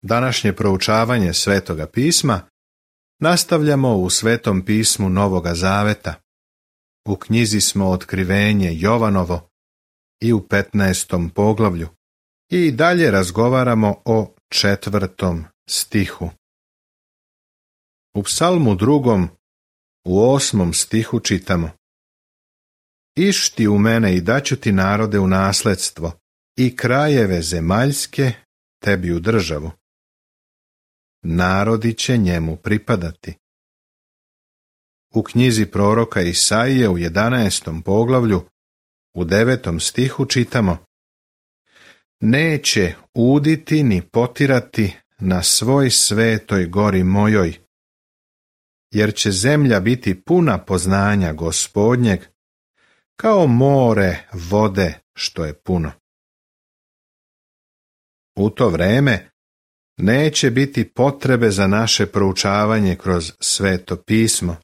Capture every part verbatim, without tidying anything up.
Današnje proučavanje Svetoga pisma nastavljamo u Svetom pismu Novoga Zaveta. U knjizi smo Otkrivenje Jovanovo i u petnaestom poglavlju i dalje razgovaramo o četvrtom stihu. U Psalmu drugom u osmom stihu čitamo: Išti u mene i daću ti narode u nasledstvo i krajeve zemaljske tebi u državu. Narodi će njemu pripadati. U knjizi proroka Isaije u jedanaestom poglavlju u devetom stihu čitamo: Neće uditi ni potirati na svoj svetoj gori mojoj, jer će zemlja biti puna poznanja Gospodnjeg, kao more vode što je puno. U to vreme neće biti potrebe za naše proučavanje kroz Sveto pismo,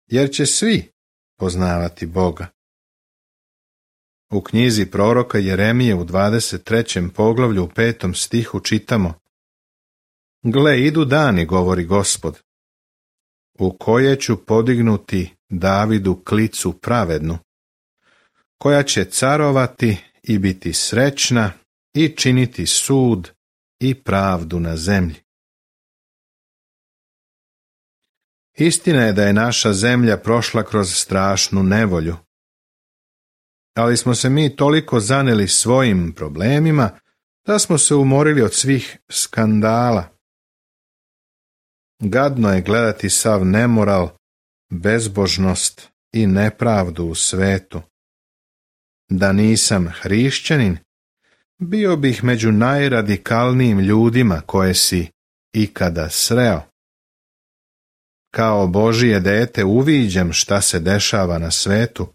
jer će svi poznavati Boga. U knjizi proroka Jeremije u dvadeset trećem poglavlju u petom stihu čitamo: Gle, idu dani, govori Gospod, u koje ću podignuti Davidu klicu pravednu, koja će carovati i biti srećna i činiti sud i pravdu na zemlji. Istina je da je naša zemlja prošla kroz strašnu nevolju, ali smo se mi toliko zaneli svojim problemima da smo se umorili od svih skandala. Gadno je gledati sav nemoral, bezbožnost i nepravdu u svetu. Da nisam hrišćanin, bio bih među najradikalnijim ljudima koje si ikada sreo. Kao Božije dete uviđam šta se dešava na svetu,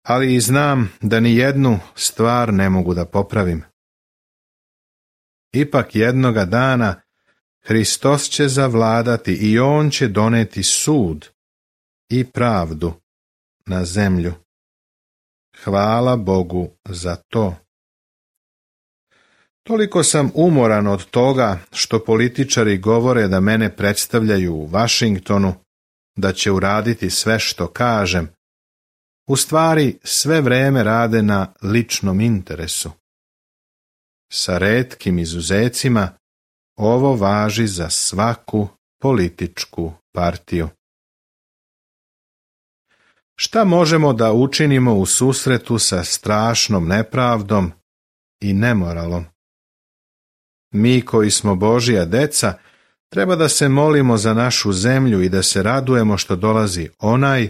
ali i znam da ni jednu stvar ne mogu da popravim. Ipak jednoga dana Hristos će zavladati i on će doneti sud i pravdu na zemlju. Hvala Bogu za to. Toliko sam umoran od toga što političari govore da mene predstavljaju u Vašingtonu, da će uraditi sve što kažem. U stvari sve vreme rade na ličnom interesu. Sa retkim izuzecima ovo važi za svaku političku partiju. Šta možemo da učinimo u susretu sa strašnom nepravdom i nemoralom? Mi koji smo Božja deca, treba da se molimo za našu zemlju i da se radujemo što dolazi onaj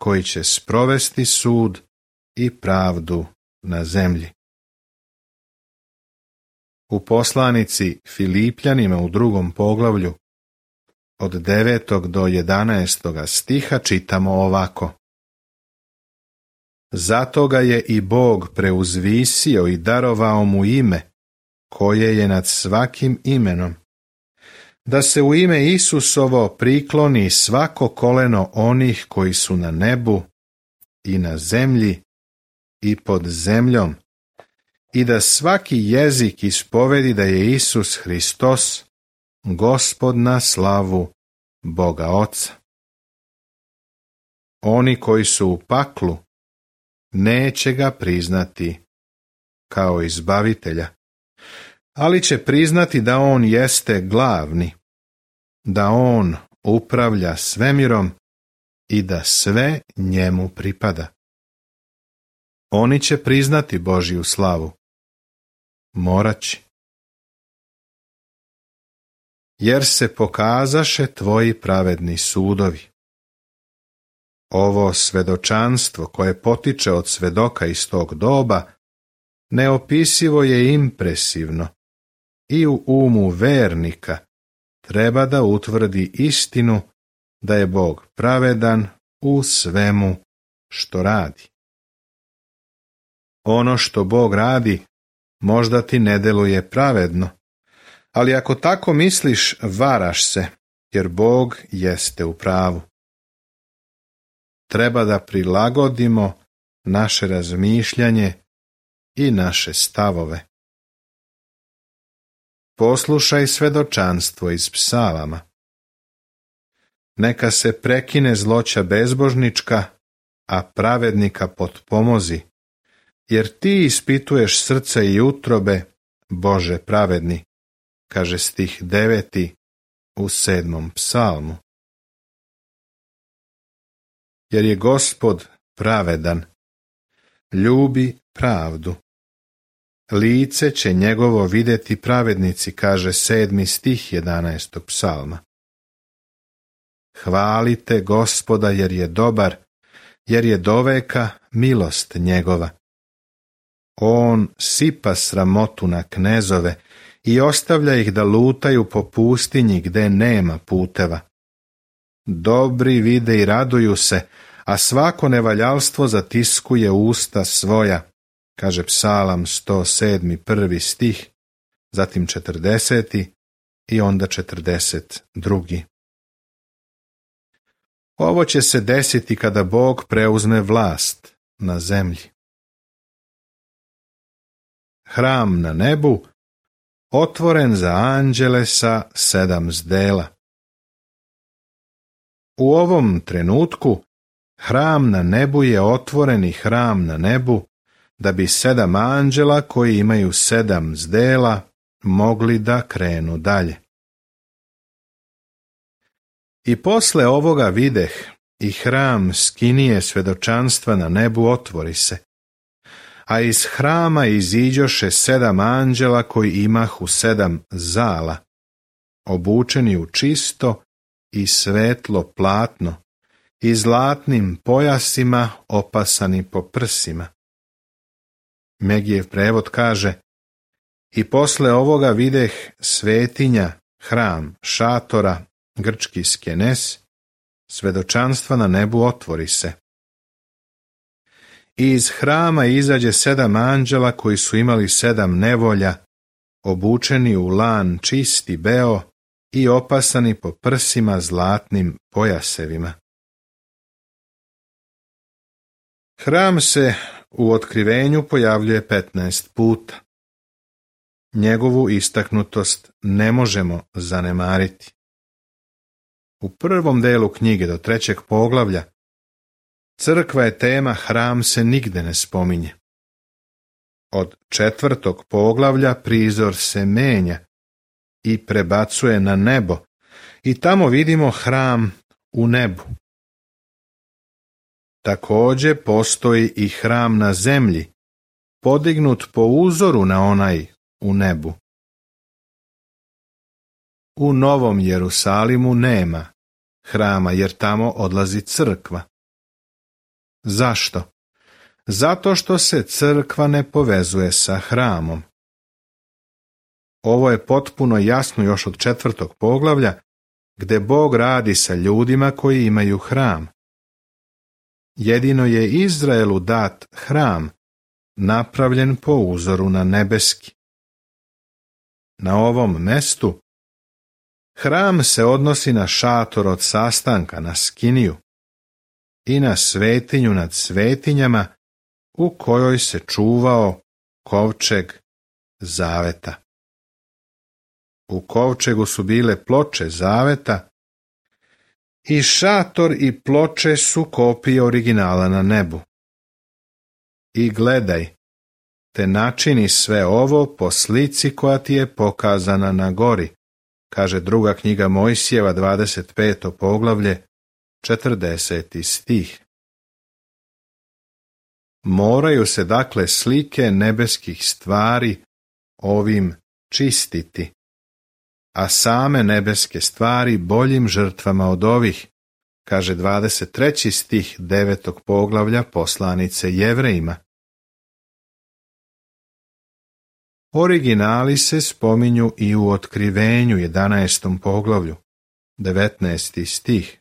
koji će sprovesti sud i pravdu na zemlji. U poslanici Filipljanima u drugom poglavlju od devetog do jedanaestoga stiha čitamo ovako: Zato ga je i Bog preuzvisio i darovao mu ime koje je nad svakim imenom, da se u ime Isusovo prikloni svako koleno onih koji su na nebu i na zemlji i pod zemljom, i da svaki jezik ispovedi da je Isus Hristos, Gospod na slavu Boga Oca. Oni koji su u paklu neće ga priznati kao izbavitelja, ali će priznati da on jeste glavni, da on upravlja svemirom i da sve njemu pripada. Oni će priznati Božju slavu. Morat će. Jer se pokazaše tvoji pravedni sudovi. Ovo svedočanstvo koje potiče od svedoka iz tog doba neopisivo je impresivno i u umu vernika treba da utvrdi istinu da je Bog pravedan u svemu što radi. Ono što Bog radi možda ti ne deluje pravedno, ali ako tako misliš, varaš se, jer Bog jeste u pravu. Treba da prilagodimo naše razmišljanje i naše stavove. poslušaj svedočanstvo iz psalama. Neka se prekine zloća bezbožnička, a pravednika potpomozi, jer ti ispituješ srce i utrobe, Bože pravedni, kaže stih deveti u sedmom psalmu. Jer je Gospod pravedan, ljubi pravdu. Lice će njegovo vidjeti pravednici, kaže sedmi stih jedanaestog psalma. Hvalite Gospoda jer je dobar, jer je doveka milost njegova. On sipa sramotu na knezove i ostavlja ih da lutaju po pustinji gde nema puteva. Dobri vide i raduju se, a svako nevaljalstvo zatiskuje usta svoja, kaže psalam sto sedmi prvi stih, zatim četrdeseti i onda četrdeset drugi. Ovo će se desiti kada Bog preuzme vlast na zemlji. Hram na nebu, otvoren za anđele sa sedam zdela. U ovom trenutku hram na nebu je otvoreni hram na nebu, da bi sedam anđela koji imaju sedam zdela mogli da krenu dalje. I posle ovoga videh i hram skinije svedočanstva na nebu otvori se, a iz hrama iziđoše sedam anđela koji imahu sedam zala, obučeni u čisto i svetlo platno i zlatnim pojasima opasani po prsima. Megijev prevod kaže: I posle ovoga videh svetinja, hram, šatora, grčki skenes, svedočanstva na nebu otvori se. I iz hrama izađe sedam anđela koji su imali sedam nevolja, obučeni u lan čisti beo i opasani po prsima zlatnim pojasevima. Hram se u otkrivenju pojavljuje petnaest puta. Njegovu istaknutost ne možemo zanemariti. U prvom delu knjige do trećeg poglavlja crkva je tema, hram se nigde ne spominje. Od četvrtog poglavlja prizor se menja i prebacuje na nebo i tamo vidimo hram u nebu. Također postoji i hram na zemlji, podignut po uzoru na onaj u nebu. U Novom Jerusalimu nema hrama jer tamo odlazi crkva. Zašto? Zato što se crkva ne povezuje sa hramom. Ovo je potpuno jasno još od četvrtog poglavlja, gde Bog radi sa ljudima koji imaju hram. Jedino je Izraelu dat hram, napravljen po uzoru na nebeski. Na ovom mestu hram se odnosi na šator od sastanka, na skiniju, i na svetinju nad svetinjama u kojoj se čuvao kovčeg zaveta. U kovčegu su bile ploče zaveta i šator i ploče su kopije originala na nebu. I gledaj, te načini sve ovo po slici koja ti je pokazana na gori, kaže druga knjiga Mojsijeva, dvadeset peto poglavlje, četrdeseti stih. Moraju se dakle slike nebeskih stvari ovim čistiti, a same nebeske stvari boljim žrtvama od ovih, kaže dvadeset treći stih devetog poglavlja poslanice Jevrejima. Originali se spominju i u Otkrivenju jedanaestom poglavlju, devetnaesti stih.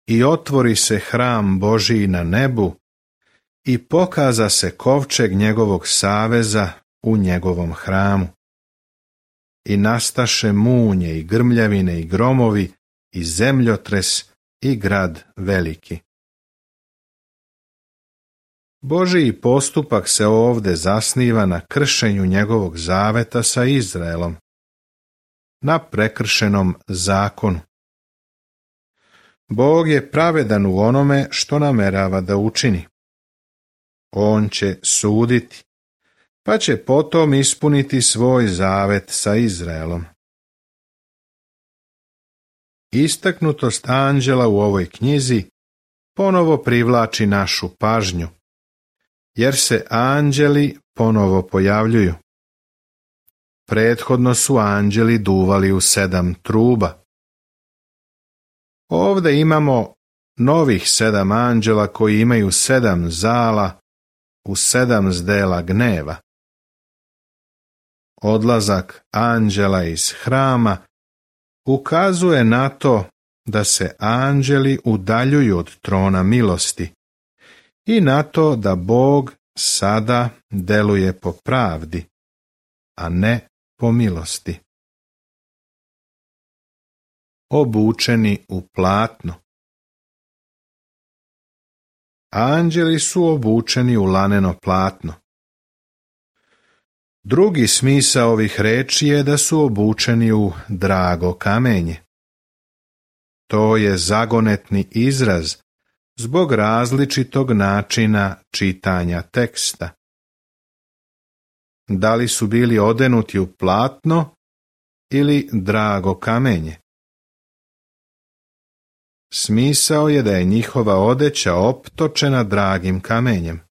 I otvori se hram Božiji na nebu i pokaza se kovčeg njegovog saveza u njegovom hramu. I nastaše munje i grmljavine i gromovi i zemljotres i grad veliki. Božji postupak se ovdje zasniva na kršenju njegovog zaveta sa Izraelom, na prekršenom zakonu. Bog je pravedan u onome što namerava da učini. On će suditi, pa će potom ispuniti svoj zavet sa Izraelom. Istaknutost anđela u ovoj knjizi ponovo privlači našu pažnju, jer se anđeli ponovo pojavljuju. Prethodno su anđeli duvali u sedam truba. Ovdje imamo novih sedam anđela koji imaju sedam zala u sedam zdela gneva. Odlazak anđela iz hrama ukazuje na to da se anđeli udaljuju od trona milosti i na to da Bog sada deluje po pravdi, a ne po milosti. Obučeni u platno. Anđeli su obučeni u laneno platno. Drugi smisao ovih reči je da su obučeni u drago kamenje. To je zagonetni izraz zbog različitog načina čitanja teksta. Da li su bili odenuti u platno ili drago kamenje? Smisao je da je njihova odeća optočena dragim kamenjem.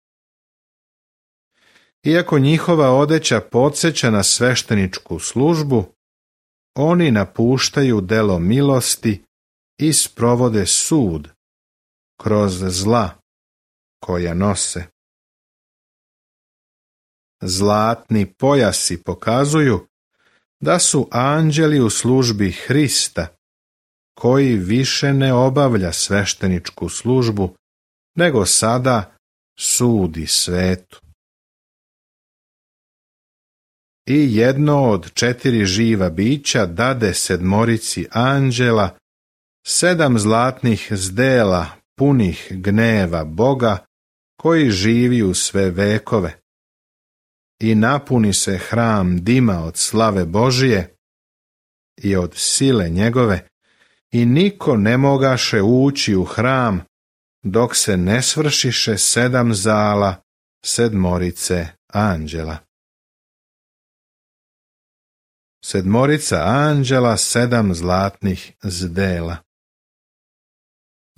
Iako njihova odeća podsjeća na svešteničku službu, oni napuštaju delo milosti i sprovode sud kroz zla koja nose. Zlatni pojasi pokazuju da su anđeli u službi Hrista, koji više ne obavlja svešteničku službu, nego sada sudi svetu. I jedno od četiri živa bića dade sedmorici anđela sedam zlatnih zdela punih gneva Boga koji živi u sve vekove. I napuni se hram dima od slave Božije i od sile njegove, i niko ne mogaše ući u hram dok se ne svršiše sedam zala sedmorice anđela. Sedmorica anđela, sedam zlatnih zdela.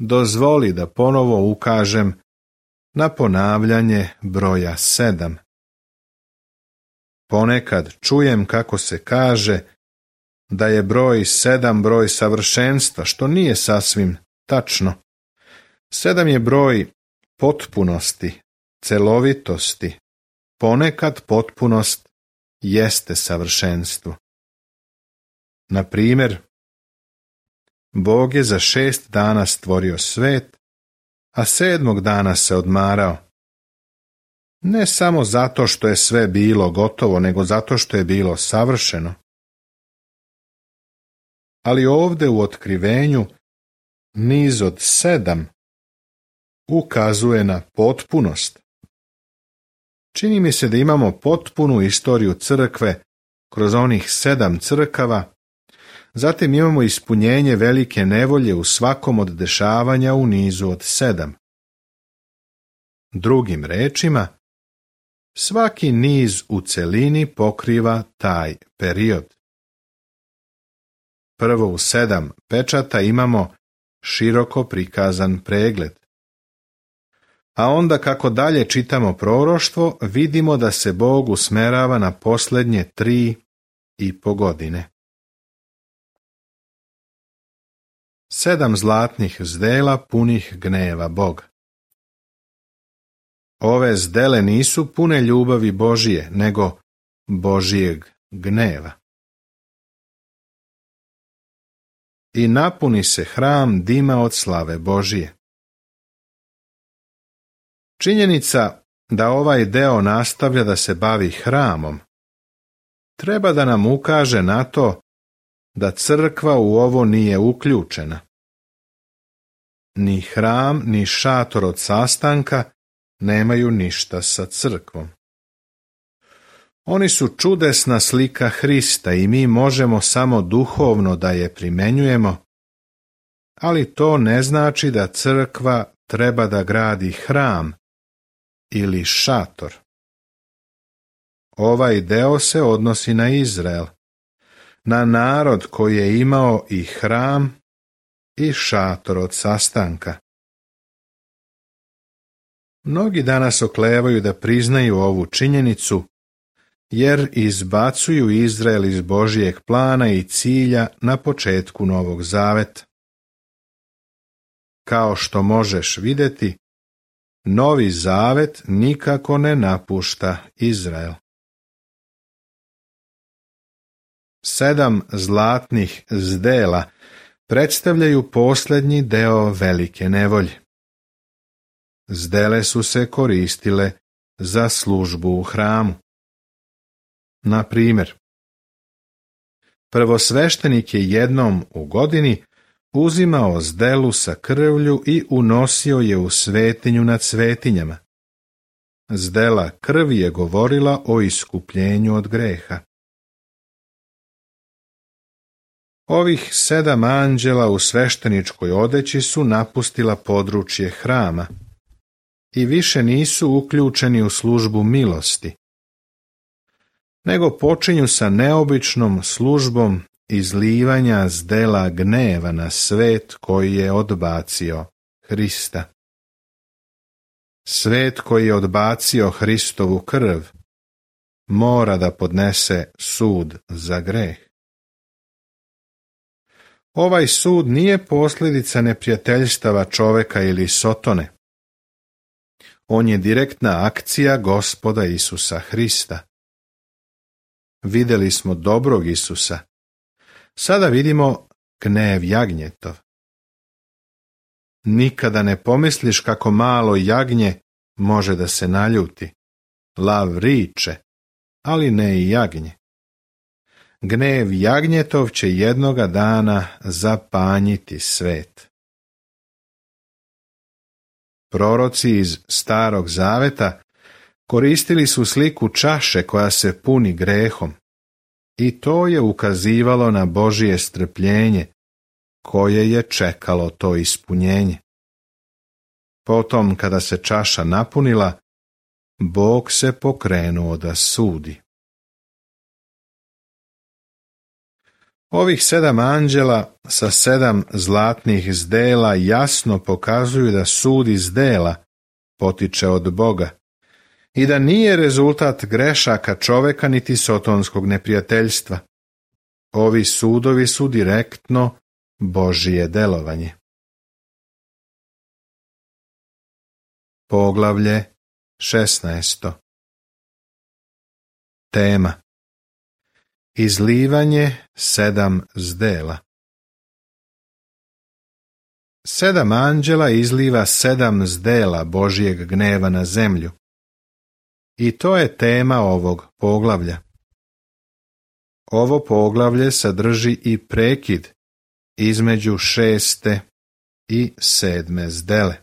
Dozvoli da ponovo ukažem na ponavljanje broja sedam. Ponekad čujem kako se kaže da je broj sedam broj savršenstva, što nije sasvim tačno. Sedam je broj potpunosti, celovitosti. Ponekad potpunost jeste savršenstvo. Na primjer, Bog je za šest dana stvorio svet, a sedmog dana se odmarao. Ne samo zato što je sve bilo gotovo, nego zato što je bilo savršeno. Ali ovdje u otkrivenju niz od sedam ukazuje na potpunost. Čini mi se da imamo potpunu istoriju crkve kroz onih sedam crkava. Zatim imamo ispunjenje velike nevolje u svakom od dešavanja u nizu od sedam. Drugim rečima, svaki niz u celini pokriva taj period. Prvo u sedam pečata imamo široko prikazan pregled. A onda kako dalje čitamo proroštvo, vidimo da se Bog usmerava na posljednje tri i po godine. Sedam zlatnih zdela punih gneva Boga. Ove zdele nisu pune ljubavi Božije, nego Božijeg gneva. I napuni se hram dima od slave Božije. Činjenica da ovaj deo nastavlja da se bavi hramom treba da nam ukaže na to da crkva u ovo nije uključena. Ni hram, ni šator od sastanka nemaju ništa sa crkvom. Oni su čudesna slika Hrista i mi možemo samo duhovno da je primenjujemo, ali to ne znači da crkva treba da gradi hram ili šator. Ovaj deo se odnosi na Izrael, na narod koji je imao i hram i šator od sastanka. Mnogi danas oklevaju da priznaju ovu činjenicu, jer izbacuju Izrael iz Božijeg plana i cilja na početku Novog Zaveta. Kao što možeš vidjeti, Novi Zavet nikako ne napušta Izrael. Sedam zlatnih zdela predstavljaju posljednji deo velike nevolje. Zdele su se koristile za službu u hramu. Na primjer, prvosveštenik je jednom u godini uzimao zdelu sa krvlju i unosio je u svetinju nad svetinjama. Zdela krvi je govorila o iskupljenju od greha. Ovih sedam anđela u svešteničkoj odeći su napustila područje hrama i više nisu uključeni u službu milosti, nego počinju sa neobičnom službom izlivanja zdela gneva na svet koji je odbacio Hrista. Svet koji je odbacio Hristovu krv mora da podnese sud za greh. Ovaj sud nije posljedica neprijateljstava čoveka ili Sotone. On je direktna akcija Gospoda Isusa Hrista. Vidjeli smo dobrog Isusa. Sada vidimo gnev jagnjetov. Nikada ne pomisliš kako malo jagnje može da se naljuti. Lav riče, ali ne i jagnje. Gnev jagnjetov će jednoga dana zapanjiti svet. Proroci iz Starog Zaveta koristili su sliku čaše koja se puni grehom i to je ukazivalo na Božje strpljenje koje je čekalo to ispunjenje. Potom kada se čaša napunila, Bog se pokrenuo da sudi. Ovih sedam anđela sa sedam zlatnih zdela jasno pokazuju da sud iz dela potiče od Boga i da nije rezultat grešaka čoveka niti sotonskog neprijateljstva. Ovi sudovi su direktno Božije delovanje. Poglavlje šesnaesto. Tema: Izlivanje sedam zdela. Sedam anđela izliva sedam zdela Božijeg gneva na zemlju. I to je tema ovog poglavlja. Ovo poglavlje sadrži i prekid između šeste i sedme zdele.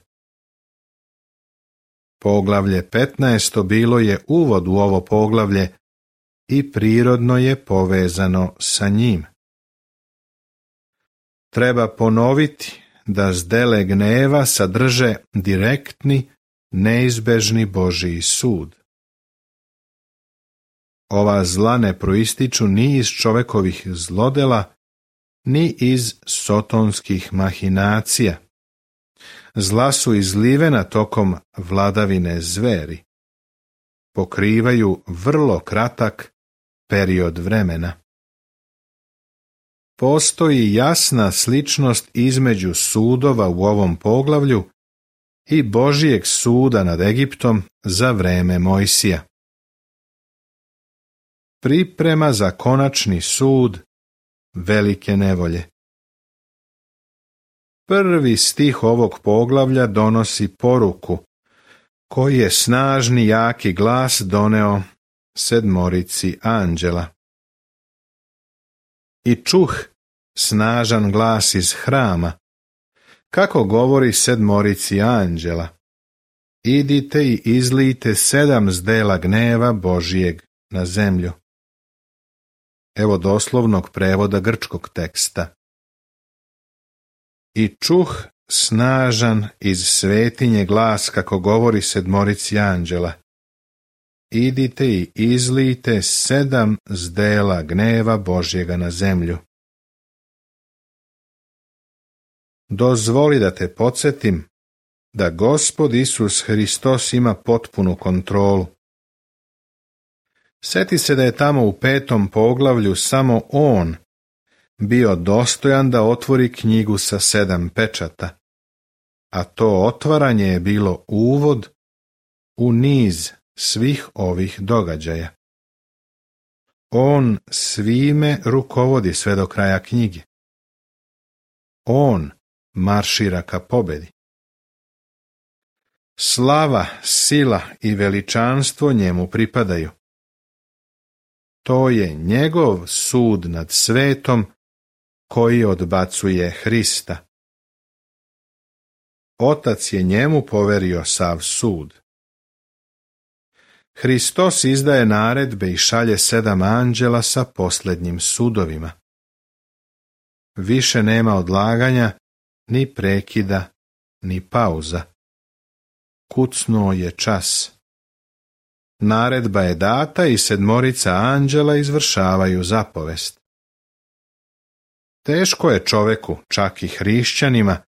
Poglavlje petnaesto bilo je uvod u ovo poglavlje i prirodno je povezano sa njim. Treba ponoviti da zdele gneva sadrže direktni, neizbežni Božji sud. Ova zla ne proističu ni iz čovekovih zlodela, ni iz sotonskih mahinacija. Zla su izlivena tokom vladavine zveri. Pokrivaju vrlo kratak period vremena. Postoji jasna sličnost između sudova u ovom poglavlju i Božijeg suda nad Egiptom za vreme Mojsija. Priprema za konačni sud velike nevolje. Prvi stih ovog poglavlja donosi poruku koji je snažni jaki glas doneo sedmorici anđela. I čuh snažan glas iz hrama, kako govori sedmorici anđela. idite i izlijte sedam zdela gneva Božijeg na zemlju. Evo doslovnog prevoda grčkog teksta. I čuh snažan iz svetinje glas kako govori sedmorici anđela. Idite i izlijte sedam zdela gneva Božjega na zemlju. Dozvoli da te podsjetim da Gospod Isus Hristos ima potpunu kontrolu. Sjeti se da je tamo u petom poglavlju samo On bio dostojan da otvori knjigu sa sedam pečata, a to otvaranje je bilo uvod u niz svih ovih događaja. On svime rukovodi sve do kraja knjige. On maršira ka pobedi. Slava, sila i veličanstvo njemu pripadaju. To je njegov sud nad svetom koji odbacuje Hrista. Otac je njemu poverio sav sud. Hristos izdaje naredbe i šalje sedam anđela sa posljednjim sudovima. Više nema odlaganja, ni prekida, ni pauza. Kucnuo je čas. Naredba je data i sedmorica anđela izvršavaju zapovest. Teško je čoveku, čak i hrišćanima,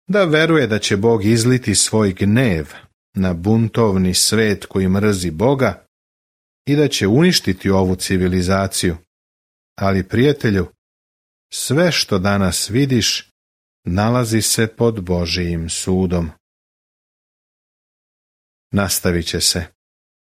da veruje da će Bog izliti svoj gnev na buntovni svet koji mrzi Boga i da će uništiti ovu civilizaciju. Ali, prijatelju, sve što danas vidiš nalazi se pod Božijim sudom. Nastavit će se.